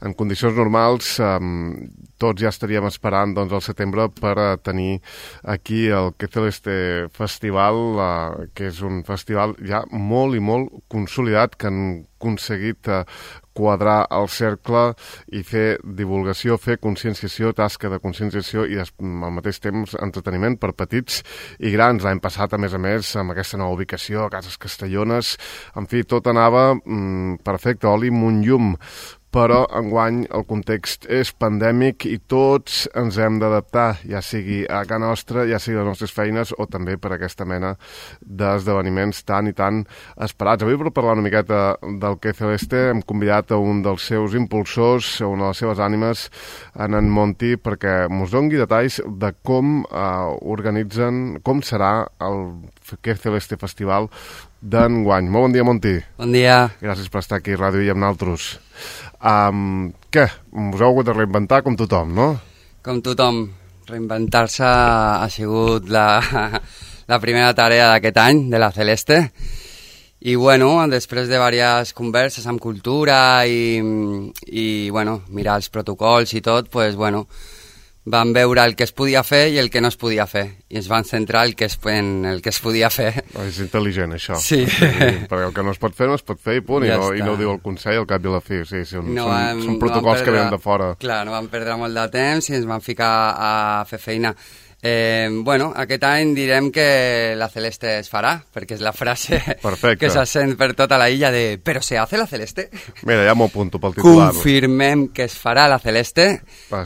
en condicions normals tots ja estaríem esperant doncs, al setembre per tenir aquí el Que Celeste Festival, que és un festival ja molt i molt consolidat, que han aconseguit quadrar el cercle i fer divulgació, fer conscienciació, tasca de conscienciació i al mateix temps entreteniment per petits i grans. L'any passat, a més, amb aquesta nova ubicació a Cases Castellones, en fi, tot anava perfecte, oli munt llum. Però enguany el context és pandèmic i tots ens hem d'adaptar, ja sigui a casa nostra, ja sigui a les nostres feines o també per aquesta mena d'esdeveniments tan i tan esperats. Avui, per parlar una miqueta del Que Celeste, hem convidat a un dels seus impulsors, a una de les seves ànimes, en Monti, perquè mos doni detalls de com organitzen, com serà el Que Celeste Festival d'enguany. Molt bon dia, Monti. Bon dia. Gràcies per estar aquí a Ràdio i amb nosaltres. Què? Us heu hagut de reinventar com tothom, no? Com tothom. Reinventar-se ha sigut la primera tarea d'aquest any, de la Celeste. I, bueno, després de diverses converses amb cultura i bueno, mirar els protocols i tot, pues, bueno, vam veure el que es podia fer i el que no es podia fer. I ens van centrar en el que es podia fer. És intel·ligent, això. Sí. Perquè el que no es pot fer, no es pot fer i punt. Ja i no ho diu el Consell al cap i a la fi. Sí, són protocols que venen de fora. Clar, no vam perdre molt de temps i ens vam ficar a fer feina. Bueno, aquest any direm que la Celeste es farà, perquè és la frase que se sent per tota la illa de «Però se hace la Celeste?» Mira, ja m'ho apunto pel titular. Confirmem que es farà la Celeste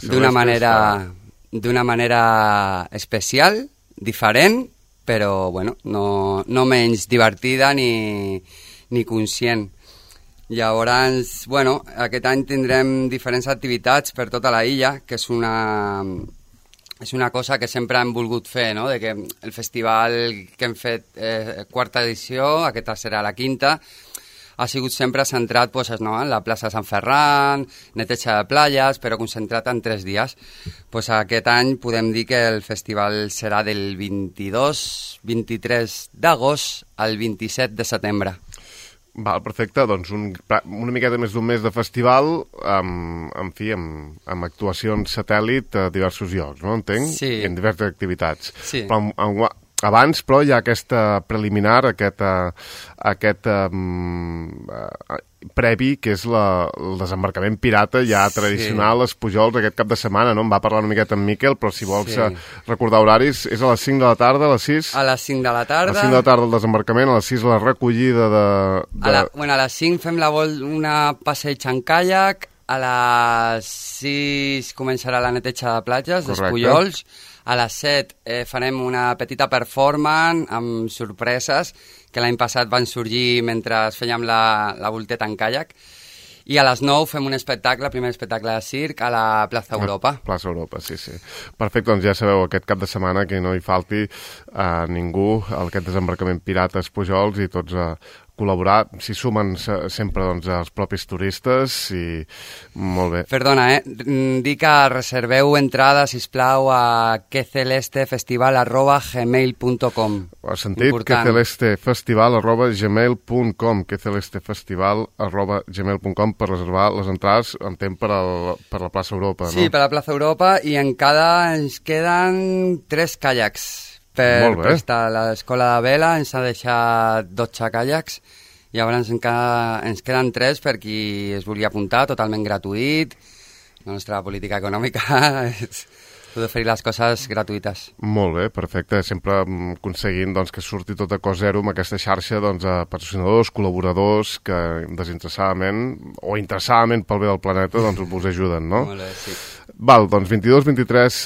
d'una manera especial, diferent, però bueno, no menys divertida ni conscient. Llavors, bueno, aquest any tindrem diferents activitats per tota la illa, que és una cosa que sempre hem volgut fer, no? De que el festival que hem fet quarta edició, aquesta serà la quinta, ha sigut sempre centrat pues, no? En la plaça de Sant Ferran, neteja de platges, però concentrat en 3 dies. Pues, aquest any podem dir que el festival serà del 22-23 d'agost al 27 de setembre. Val, perfecte, doncs una miqueta més d'un mes de festival, amb actuacions satèl·lit a diversos llocs, no? Entenc? Sí. I en diverses activitats. Sí. Però abans, però, hi ha aquesta preliminar, aquest previ, que és el desembarcament pirata ja tradicional, les Pujols, aquest cap de setmana, no? Em va parlar una miqueta amb Miquel, però si vols recordar horaris, és a les 5 de la tarda, a les 6? A les 5 de la tarda. A les 5 de la tarda el desembarcament, a les 6 la recollida a les 5 fem una passeig en caiac, a les 6 començarà la neteja de platges, dels Pujols, a les 7 farem una petita performance amb sorpreses que l'any passat van sorgir mentre fèiem la volteta en caiac, i a les 9 fem un espectacle, el primer espectacle de circ a la Plaça Europa. Plaça Europa, sí. Perfecte, doncs ja sabeu, aquest cap de setmana que no hi falti a ningú aquest desembarcament pirates Pujols i tots col·laborar, s'hi sumen sempre doncs, els propis turistes i molt bé. Perdona, dic que reserveu entrada, sisplau, a quecelestefestival@gmail.com. Has sentit? quecelestefestival@gmail.com quecelestefestival@gmail.com per reservar les entrades, entenc, per la plaça Europa, no? Sí, per la plaça Europa, i encara ens queden 3 caiacs. Per estar a l'escola de vela ens ha deixat 12 caiacs, i llavors ens queden 3 per qui es vulgui apuntar, totalment gratuït. La nostra política econòmica és oferir les coses gratuïtes. Molt bé, perfecte. Sempre aconseguint doncs, que surti tot a cost zero amb aquesta xarxa doncs, de patrocinadors, col·laboradors que desinteressadament o interessadament pel bé del planeta doncs, us ajuden, no? Molt bé, sí. Val, doncs 22-23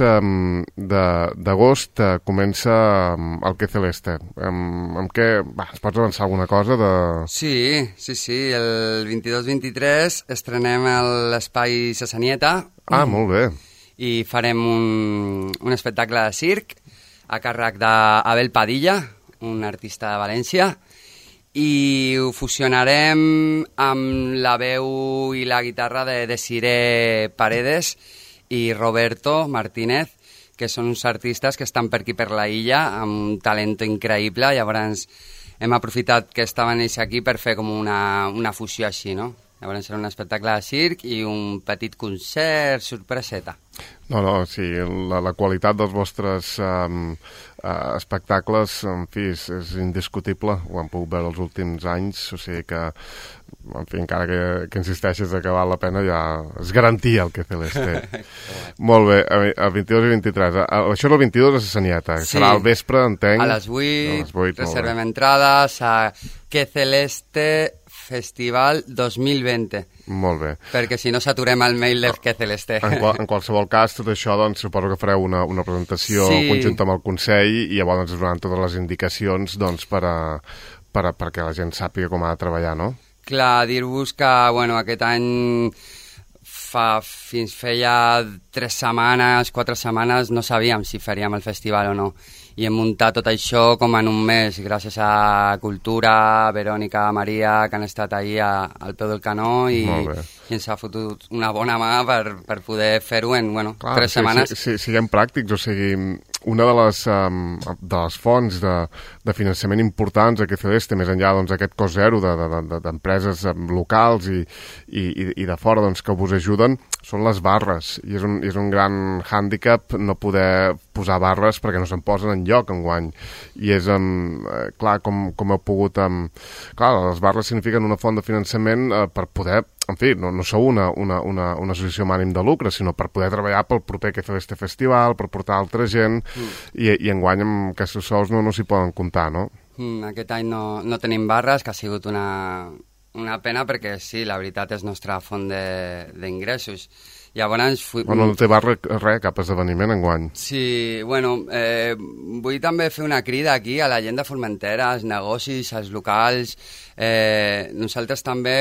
d'agost comença el Que Celeste. Amb què? Ens pots avançar alguna cosa? Sí. El 22-23 estrenem l'Espai Sassanieta. Molt bé. I farem un espectacle de circ a càrrec d'Abel Padilla, un artista de València, i ho fusionarem amb la veu i la guitarra de Desiree Paredes i Roberto Martínez, que són uns artistes que estan per aquí per la illa, amb un talent increïble. Llavors hem aprofitat que estaven ells aquí per fer com una fusió així, no? Llavors serà un espectacle de circ i un petit concert sorpreseta. No, sí, la qualitat dels vostres espectacles, en fi, és indiscutible. Ho hem pogut veure els últims anys, o sigui que, en fi, encara que insisteixes que val la pena, ja és garantia el que Celeste. Molt bé, el 22 i 23. Això és el 22 a Sanieta. Sí. Serà al vespre, entenc. A les 8 reservem entrades a Que Celeste Festival 2020. Molt bé. Perquè si no saturem el mail del Que Celeste. En qualsevol cas, tot això, doncs, suposo que fareu una presentació conjunta amb el Consell i llavors ens donaran totes les indicacions, doncs, perquè la gent sàpiga com ha de treballar, no? Clar, dir-vos que, bueno, aquest any fins feia 4 setmanes, no sabíem si faríem el festival o no. I hem muntat tot això com en un mes, gràcies a Cultura, Verònica, Maria, que han estat ahí al peu del canó i ens ha fotut una bona mà per poder fer-ho en, 3 setmanes. Siguem pràctics, o sigui, una de les fonts de finançament importants a Celeste, més enllà d'aquest cost zero d'empreses locals i de fora que vos ajuden, són les barres, i és un gran hàndicap no poder posar barres perquè no se'n posen enlloc enguany. I és, clar, com heu pogut... Clar, les barres signifiquen una font de finançament per poder... En fi, no sou una associació amb ànim de lucre, sinó per poder treballar pel proper Celeste Festival, per portar altra gent, i enguany amb aquests sous no s'hi poden comptar, no? Aquest any no tenim barres, que ha sigut una pena perquè sí, la veritat és nostra font d'ingressos. Llavors... No té barra res, cap esdeveniment enguany. Sí, vull també fer una crida aquí a la gent de Formentera, als negocis, als locals. Nosaltres també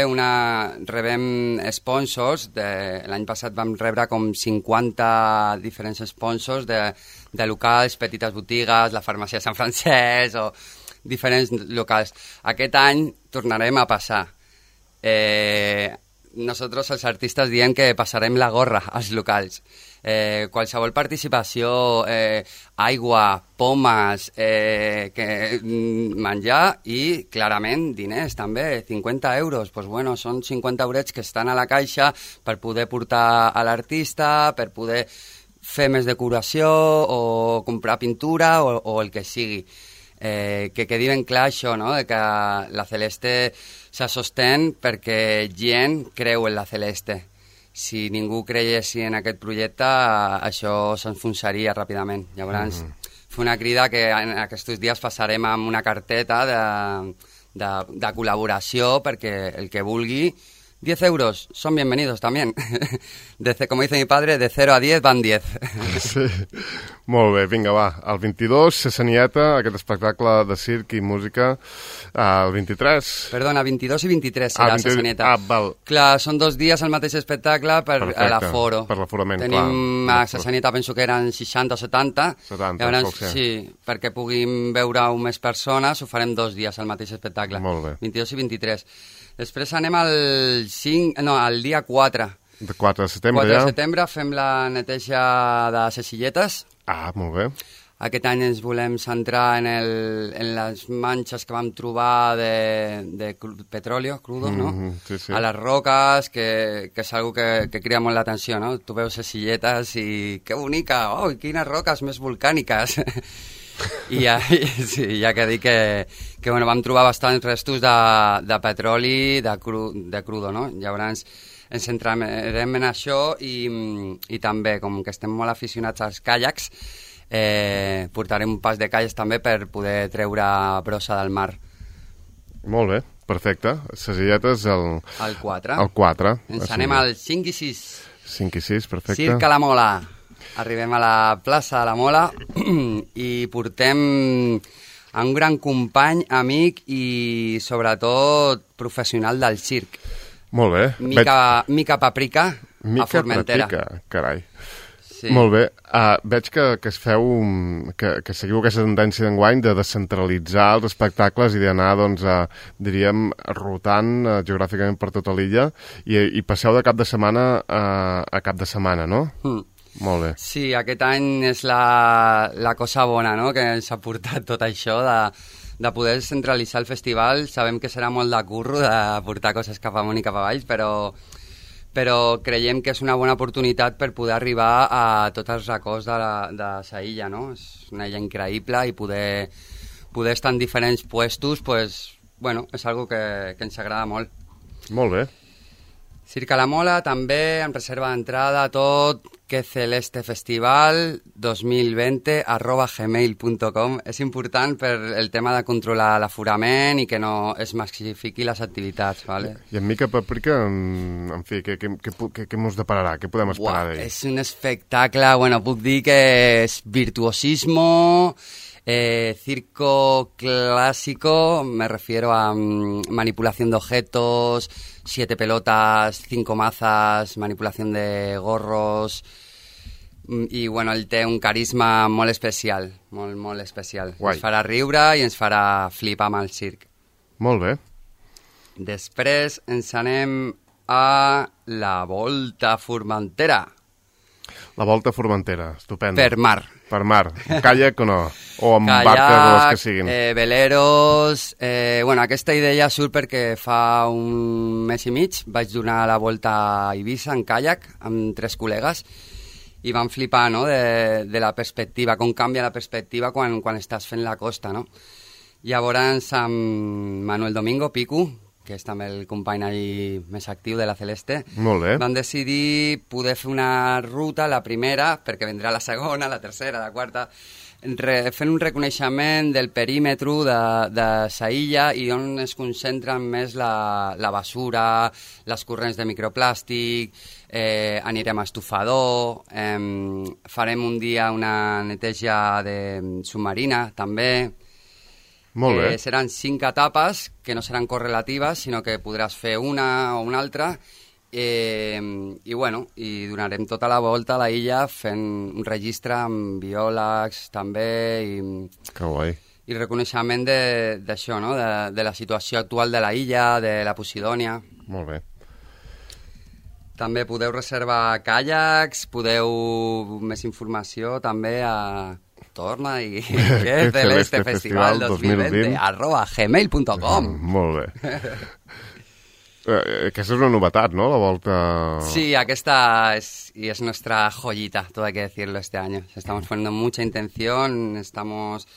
rebem sponsors. L'any passat vam rebre com 50 diferents sponsors de locals, petites botigues, la farmàcia de Sant Francesc o diferents locals. Aquest any tornarem a passar. Nosotros els artistes diem que passarem la gorra als locals. Qualsevol participació, aigua, pomes, menjar i, clarament, diners també, 50 euros. Són 50 eurets que estan a la caixa per poder portar a l'artista, per poder fer més decoració o comprar pintura o el que sigui. Que quedi ben clar això, no?, de que la Celeste se sostén perquè gent creu en la Celeste. Si ningú creiessi en aquest projecte, això s'enfonsaria ràpidament. Llavors, fer una crida que en aquests dies passarem amb una carteta de col·laboració perquè el que vulgui, 10 euros, son bienvenidos también. Como dice mi padre, de 0 a 10 van 10. Sí, molt bé, vinga, va. El 22, Sanieta, aquest espectacle de circ i música. El 23... Perdona, 22 i 23 serà Sanieta. Val. Clar, són 2 dies al mateix espectacle per l'aforo. Per l'aforament, clar. Tenim a Sanieta, penso que eren 60 o 70. 70, llavors, sí, perquè puguin veure més persones, ho farem 2 dies al mateix espectacle. Molt bé. 22 i 23. Després anem al dia 4. De 4 de setembre, 4 de setembre fem la neteja de les silletes. Molt bé. Aquest any ens volem centrar en les manxes que vam trobar de petróleo crudo, no? Sí. A les roques, que és algo que crida molt l'atenció, no? Tu veus les silletes i que bonica, quines roques més volcàniques. I ja que dic que vam trobar bastants restos de petroli, de crudo, no? Llavors ens centrarem en això i també, com que estem molt aficionats als caiacs, portarem un pas de caiacs també per poder treure brossa del mar. Molt bé, perfecte. Sesilletes el 4. El 4. Ens anem al 5 i 6. 5 i 6, perfecte. Circ a la Mola. Arribem a la plaça de la Mola i portem un gran company, amic i, sobretot, professional del circ. Molt bé. Mica Paprika, a Formentera. Mica Paprika, carai. Sí. Molt bé. Veig que es feu, que seguiu aquesta tendència d'enguany de descentralitzar els espectacles i d'anar, doncs, diríem, rotant geogràficament per tota l'illa i passeu de cap de setmana a cap de setmana, no? Molt bé. Sí, aquest any és la cosa bona, no?, que ens ha portat tot això de poder centralitzar el festival. Sabem que serà molt de curro de portar coses cap amunt i cap avall, però creiem que és una bona oportunitat per poder arribar a tots els racons de la illa, no? És una illa increïble i poder estar en diferents puestos, pues, bueno, és algo que ens agrada molt. Molt bé. Circa la Mola també, en reserva d'entrada, tot, que Celeste Festival 2020@gmail.com. És important per el tema de controlar l'aforament i que no es massifiqui les activitats, ¿vale? I en Mica Paprika, en fi, què mos depararà? Què podem esperar d'ell? És un espectacle, bueno, puc dir que és virtuosismo, circo clásico, me refiero a manipulación de objetos, 7 pelotas, 5 mazas, manipulación de gorros, i bueno, ell té un carisma molt especial, molt especial. Guai. Ens farà riure i ens farà flipar amb el circ. Molt bé. Després ens anem a la Volta Formentera. La Volta Formentera, estupendo. Per mar. Per mar. Caiac o no? O amb barques o les que siguin? Veleros... bueno, aquesta idea surt perquè fa un mes i mig vaig donar la volta a Eivissa en caiac amb 3 col·legues i vam flipar, no?, de la perspectiva, com canvia la perspectiva quan estàs fent la costa, no? Llavors, amb Manuel Domingo, Pico, que és també el company allí més actiu de la Celeste, Molt bé. vam decidir poder fer una ruta, la primera, perquè vendrà la segona, la tercera, la quarta, fent un reconeixement del perímetre de sa illa i on es concentren més la basura, les corrents de microplàstic, anirem a estufador, farem un dia una neteja submarina també. Molt bé. Seran 5 etapes que no seran correlatives, sinó que podràs fer una o una altra i bueno, i donarem tota la volta a la illa fent un registre amb biòlegs també Que guai. i reconeixement d'això, no?, de la situació actual de la illa, de la Posidònia. Molt bé. També podeu reservar caiacs, podeu més informació també a Torna i que Celeste Festival 2020 @gmail.com. Molt bé. Aquesta és una novetat, ¿no?, la volta... Sí, aquesta es nuestra joyita, todo hay que decirlo este año. Estamos poniendo mucha intención, estamos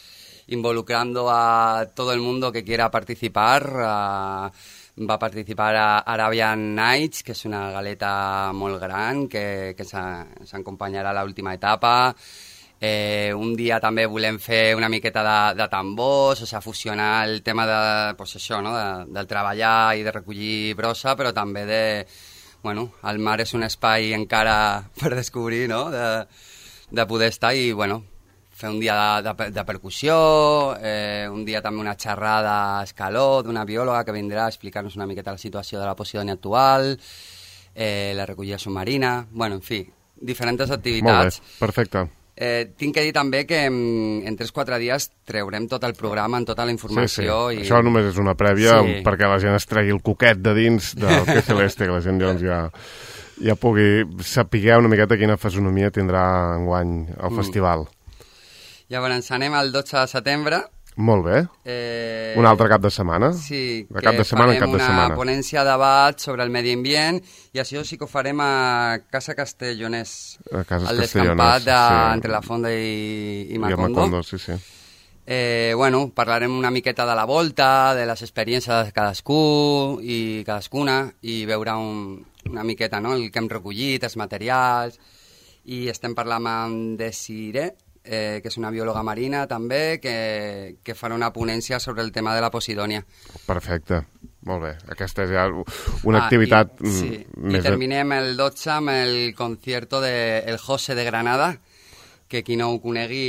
involucrando a todo el mundo que quiera participar. Va a participar a Arabian Nights, que és una galeta molt gran, que ens acompanyarà a l'última etapa. Un dia també volem fer una miqueta de tambors, o sigui, fusionar el tema pues això, no?, del treballar i de recollir brossa, però també bueno, el mar és un espai encara per descobrir, no?, de poder estar i, bueno, fer un dia de percussió, un dia també una xerrada a escaló d'una biòloga que vindrà a explicar-nos una miqueta la situació de la Posidònia actual, la recollida submarina, bueno, en fi, diferents activitats. Molt bé, perfecte. Tinc que dir també que en 3-4 dies treurem tot el programa, amb tota la informació. Sí. Això només és una prèvia perquè la gent es tregui el coquet de dins del que Celeste, que la gent doncs ja pugui saber una miqueta quina fisonomia tindrà enguany el festival. Llavors anem al 12 de setembre. Molt bé. Un altre cap de setmana? Sí, de cap de setmana en cap de setmana. Una ponència de debat sobre el medi ambient i això sí que ho farem a Casa Castellonès. A Casa al descampat entre la Fonda i Macondo. I Macondo, sí. Bueno, parlarem una miqueta de la volta, de les experiències de cadascú i cadascuna i veure una miqueta, no?, el que hem recollit, els materials, i estem parlant amb Desiree, que és una biòloga marina també, que farà una ponència sobre el tema de la Posidònia. Perfecte, molt bé. Aquesta és ja una activitat... I terminem el 12 amb el concierto del José de Granada, que qui no ho conegui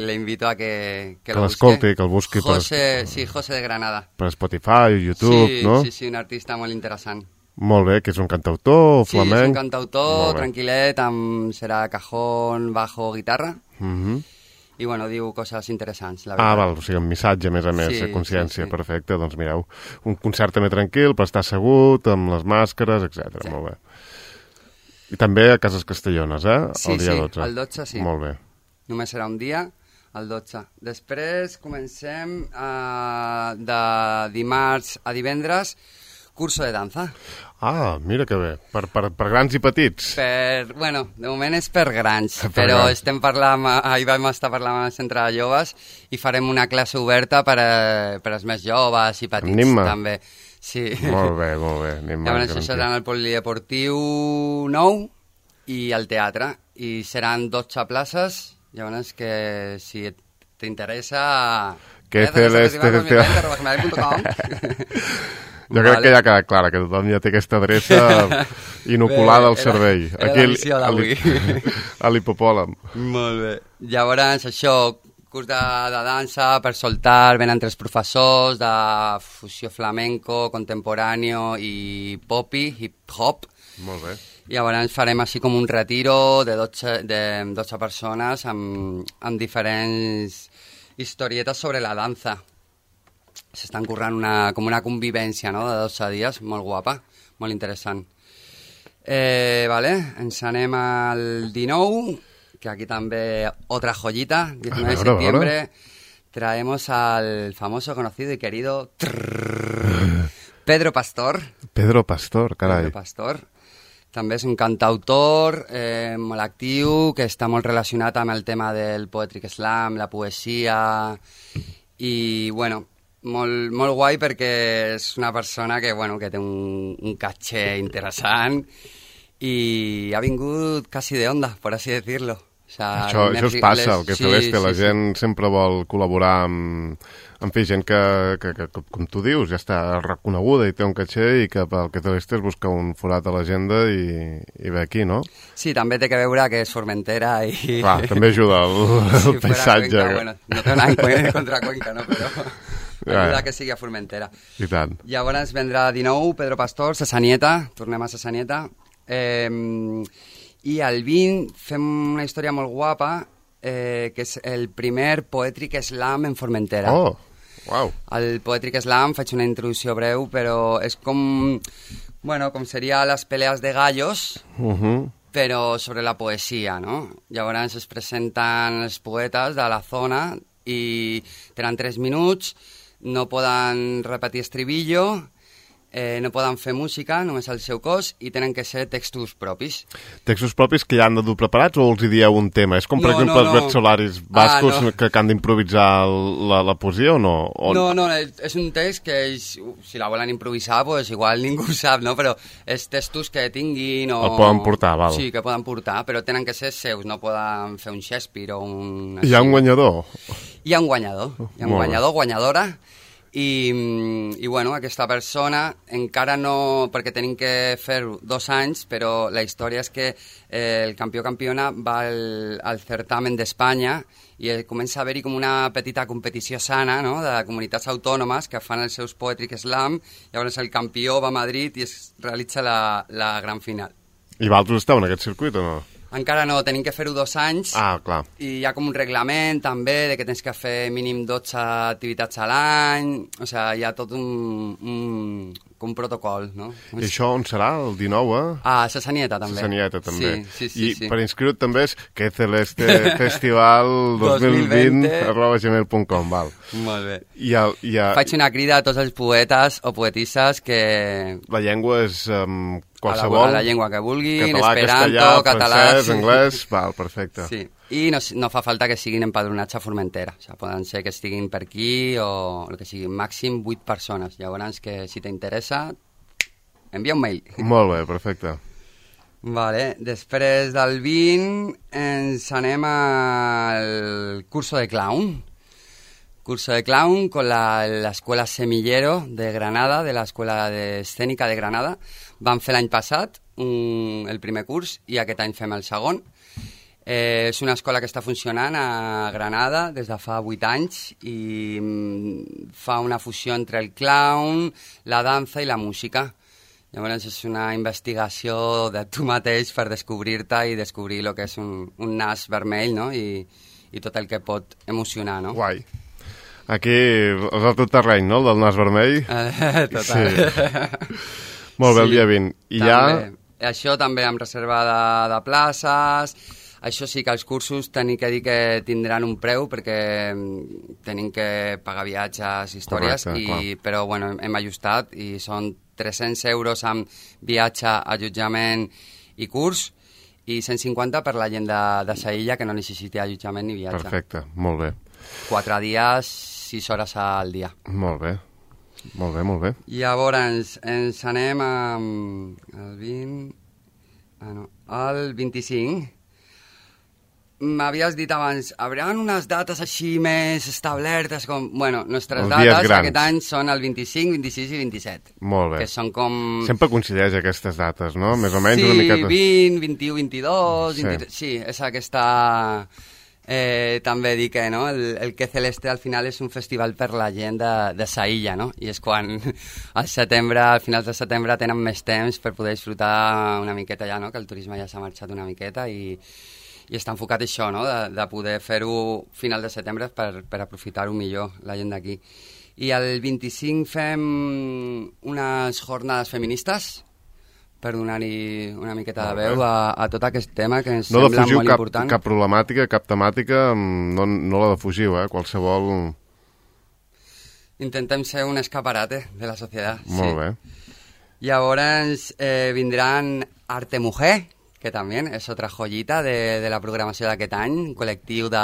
l'invito a que lo busque. L'escolti, que el busqui. José de Granada. Per Spotify, YouTube, no? Sí, un artista molt interessant. Molt bé, que és un cantautor flamenc. Sí, és un cantautor, tranquil·let, serà cajón, bajo, guitarra. I, bueno, diu coses interessants, la veritat. Val, o sigui, un missatge, a més a més, de consciència, perfecte. Doncs mireu, un concert també tranquil, per estar assegut, amb les màscares, etc. Molt bé. I també a Cases Castellones, el dia 12. Sí, el 12 sí. Molt bé. Només serà un dia, El 12. Després comencem de dimarts a divendres, curso de danza. Ah, mira que bé. Per grans i petits. Bueno, de moment és per grans, però estem parlant, ahir vam estar parlant amb el centre de joves i farem una classe oberta per als més joves i petits. Anima. També. Sí. Molt bé, molt bé. Llavors això serà en el polideportiu nou i al teatre, i seran 12 places, llavors que si t'interessa... Que Jo crec que ja ha quedat clara, que tothom ja té aquesta adreça inoculada al cervell. Aquí a l'hipopòlam. Molt bé. Llavors, això, curs de dansa per soltar, venen 3 professors de fusió flamenco, contemporáneo i popi, hip-hop. Molt bé. Llavors farem així com un retiro de 12 persones amb diferents historietes sobre la dansa. S'estan currant com una convivència, no?, de 12 dies, molt guapa, molt interessant. Vale, ens anem al 19, que aquí també otra joyita, 19 de septiembre, traemos al famoso, conocido y querido Pedro Pastor. Pedro Pastor, carai. Pedro Pastor. També és un cantautor molt actiu, que està molt relacionat amb el tema del poetry slam, la poesia, i, bueno, molt guai perquè és una persona que té un caché interessant i ha vingut quasi de onda, por así decirlo. O sea, això es passa, el que Celeste, la gent sempre vol col·laborar amb fer gent que, com tu dius, ja està reconeguda i té un caché, i que pel que Celeste es busca un forat a l'agenda i ve aquí, no? Sí, també té que veure que és Formentera i... Clar, també ajuda el paisatge. Cuenca, bueno, no té una contra Cuenca, no? Però ajuda que sigui a Formentera. I tant. Llavors vendrà 19, Pedro Pastor, Sasanieta, tornem a Sasanieta. I al 20 fem una història molt guapa, que és el primer Poetric Slam en Formentera. Oh, uau. El Poetric Slam, faig una introducció breu, però és com seria les pelees de gallos, però sobre la poesia, no? Llavors es presenten els poetes de la zona i tenen 3 minuts, no poden repetir estribillo, no poden fer música, només el seu cos, i tenen que ser textos propis. Textos propis que ja han de dur preparats o els hi dieu un tema? És com, per exemple, els versolaris bascos que han d'improvisar la poesia o no? No, és un text que ells, si la volen improvisar, pues igual ningú ho sap, no? Però és textos que tinguin o... El poden portar, val. Sí, que poden portar, però tenen que ser seus, no poden fer un Shakespeare o un... Hi ha un guanyador? Hi ha un guanyador, guanyadora. I bueno, aquesta persona encara no, perquè tenim que fer-ho 2 anys, però la història és que el campiona va al certamen d'Espanya i comença a haver-hi com una petita competició sana, no?, de comunitats autònomes que fan els seus Poetric Slam. Llavors el campió va a Madrid i es realitza la gran final. I vosaltres esteu en aquest circuit o no? Encara no, tenim que fer-ho 2 anys. Ah, clar. I hi ha com un reglament, també, de que tens que fer mínim 12 activitats a l'any. O sigui, hi ha tot un protocol, no? I això on serà, el 19, A Sasanieta, també. Sasanieta, també. Sí. I per inscriure't també és que Celeste Festival 2020@gmail.com, val. Molt bé. Faig una crida a tots els poetes o poetisses que... La llengua és... qualsevol, a la llengua que vulguin, català, esperanto, català, francès, anglès, val, perfecte. Sí. I no fa falta que siguin empadronats a Formentera, o sigui, poden ser que estiguin per aquí o el que sigui, màxim 8 persones. Llavors, que si t'interessa, envia un mail. Molt bé, perfecte. Vale, després del 20 ens anem al curso de clown. Curso de clown con la Escuela Semillero de Granada, de la Escuela de Escénica de Granada. Vam fer l'any passat el primer curs i aquest any fem el segon. És una escola que està funcionant a Granada des de fa 8 anys i fa una fusió entre el clown, la dansa i la música. Llavors és una investigació de tu mateix per descobrir-te i descobrir el que és un nas vermell, no? I tot el que pot emocionar, no? Guai. Aquí és el tot terreny, no?, el del nas vermell. Total. Sí. Molt bé, el dia 20. I també. Això també amb reserva de places. Això sí que els cursos tenim que dir que tindran un preu perquè tenim que pagar viatges, històries, correcte, però bueno, hem ajustat i són 300 euros amb viatge, allotjament i curs i 150 per la gent de Saïlla que no necessiti allotjament ni viatge. Perfecte, molt bé. 4 dies, 6 hores al dia. Molt bé, molt bé, molt bé. Llavors ens anem al 20... al 25. M'havies dit abans, haurà unes dates així més establertes com... Bueno, nostres dates aquest any són el 25, 26 i 27. Molt bé. Que són com... Sempre coincideix aquestes dates, no? Més o menys sí, una miqueta... 20, 21, 22... Sí, 23, sí és aquesta... també dir que no? el Que Celeste al final és un festival per la gent de Saïlla, no? I és quan al setembre, al finals de setembre tenen més temps per poder disfrutar una miqueta ja, no? Que el turisme ja s'ha marxat una miqueta i està enfocat això, no? De poder fer-ho final de setembre per aprofitar-ho millor la gent d'aquí. I el 25 fem unes jornades feministes per donar-hi una miqueta de veu a tot aquest tema que ens sembla molt important. No defugiu cap problemàtica, cap temàtica, no la defugiu, qualsevol... Intentem ser un escaparate de la societat. Molt bé. Llavors vindran Arte Mujer, que també és altra joyita de la programació d'aquest any, un col·lectiu de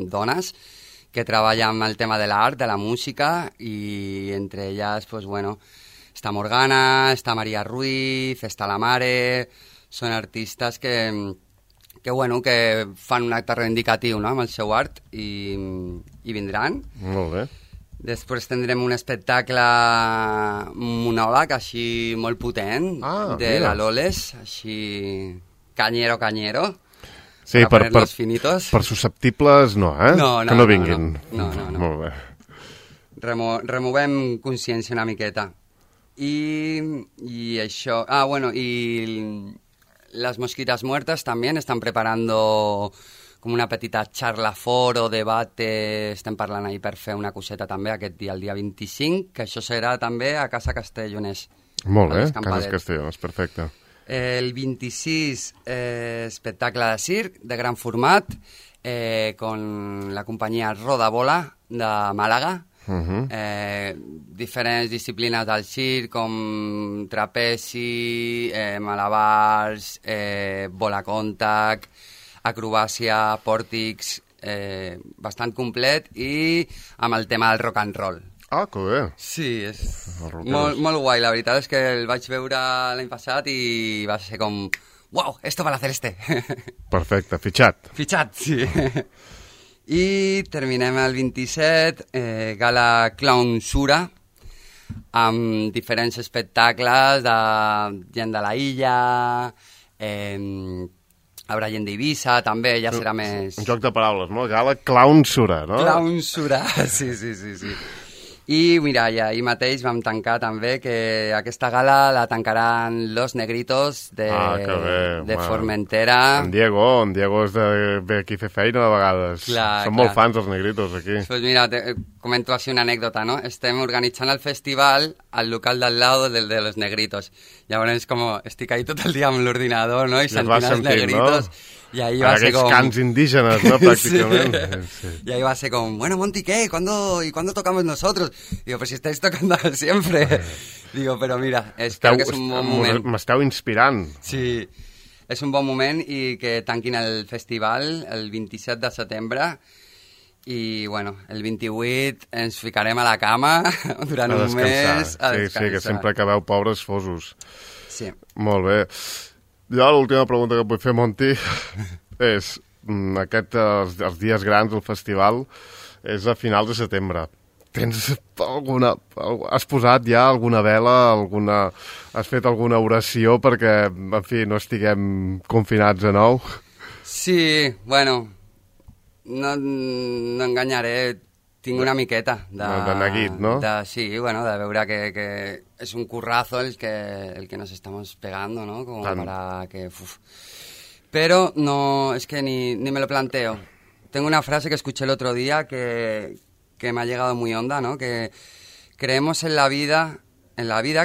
dones que treballa amb el tema de l'art, de la música, i entre elles, pues, bueno, està Morgana, està Maria Ruiz, està la Mare, són artistes que fan un acte reivindicatiu, no?, amb el seu art i vindran. Molt bé. Després tindrem un espectacle monòleg així molt potent de la Loles, així canyero. Sí, per susceptibles no, No, que no vinguin. No. Molt bé. Removem consciència una miqueta. Y això... y las Mosquitas Muertas también están preparando com una petita charla foro, debate, estem parlant ahir per fer una coseta també aquest dia, el dia 25, que això serà també a Casa Castellonès. Molt bé, Casa Castellonès, perfecte. El 26, espectacle de circ, de gran format, con la companyia Rodabola, de Màlaga, diferents disciplines del circ com trapezi, malabars, bola contact, acrobàcia, pòrtics, bastant complet i amb el tema del rock and roll. Ah, que bé. Sí, és molt guai. La veritat és que el vaig veure l'any passat i va ser com... Uau, esto va la Celeste. Perfecte, fitxat. Fitxat, sí. I terminem el 27, gala Clownsura, amb diferents espectacles de gent de la illa, haurà gent d'Eivissa, també, ja serà més... Un joc de paraules, no? Gala Clownsura, no? Clownsura, sí. I mira, ja ahir mateix vam tancar també que aquesta gala la tancaran Los Negritos de Formentera. En Diego és ve aquí a fer feina de vegades. Són molt fans els Negritos aquí. Pues mira, comento així una anècdota, no? Estem organitzant el festival al local d'al lado del de Los Negritos. Llavors estic ahí tot el dia amb l'ordinador, no? I sentint els Negritos. No? I ahí va ser com... cants indígenas, ¿no? Prácticamente. Sí. Y ahí va a ser como, bueno, Monty, ¿qué? ¿Y cuándo tocamos nosotros? Digo, pues si estáis tocando siempre. Digo, pero mira, espero que és un bon moment. M'esteu inspirant. Sí, és un bon moment i que tanquin el festival el 27 de setembre i, bueno, el 28 ens ficarem a la cama durant un mes a descansar. Sí, que sempre acabeu pobres fosos. Sí. Molt bé. Jo l'última pregunta que et vull fer, Monty, és els dies grans del festival és a finals de setembre. Tens alguna... Has posat ja alguna vela, has fet alguna oració perquè, en fi, no estiguem confinats de nou? Sí, bueno, no enganyaré, tinc una miqueta de neguit, no? Sí, bueno, de veure que és un currazo el que nos estamos pegando, ¿no? Como para que... Pero no, es que ni me lo planteo. Tengo una frase que escuché el otro día que me ha llegado muy honda, ¿no? Que creemos en la vida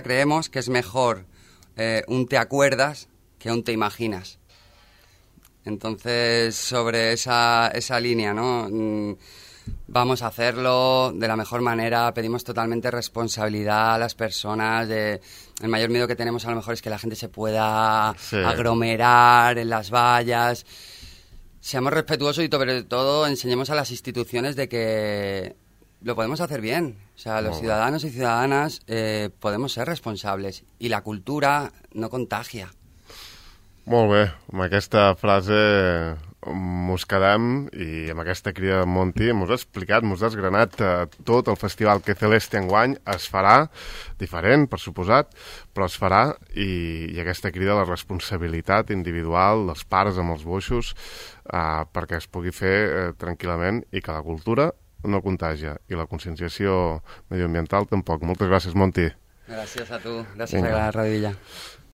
creemos que es mejor un te acuerdas que un te imaginas. Entonces, sobre esa línea, ¿no? Vamos a hacerlo de la mejor manera, pedimos totalmente responsabilidad a las personas. El mayor miedo que tenemos a lo mejor es que la gente se pueda aglomerar en las vallas. Seamos respetuosos y sobre todo enseñemos a las instituciones de que lo podemos hacer bien. O sea, los ciudadanos y ciudadanas podemos ser responsables y la cultura no contagia. Molt bé, amb aquesta frase mos quedem i amb aquesta crida de Monty mos ha explicat, mos ha desgranat tot el festival que Celeste enguany es farà, diferent, per suposat, però es farà i aquesta crida a la responsabilitat individual dels pares amb els boixos perquè es pugui fer tranquil·lament i que la cultura no contagia i la conscienciació medioambiental tampoc. Moltes gràcies, Monty. Gràcies a tu, gràcies a la Radio Villa.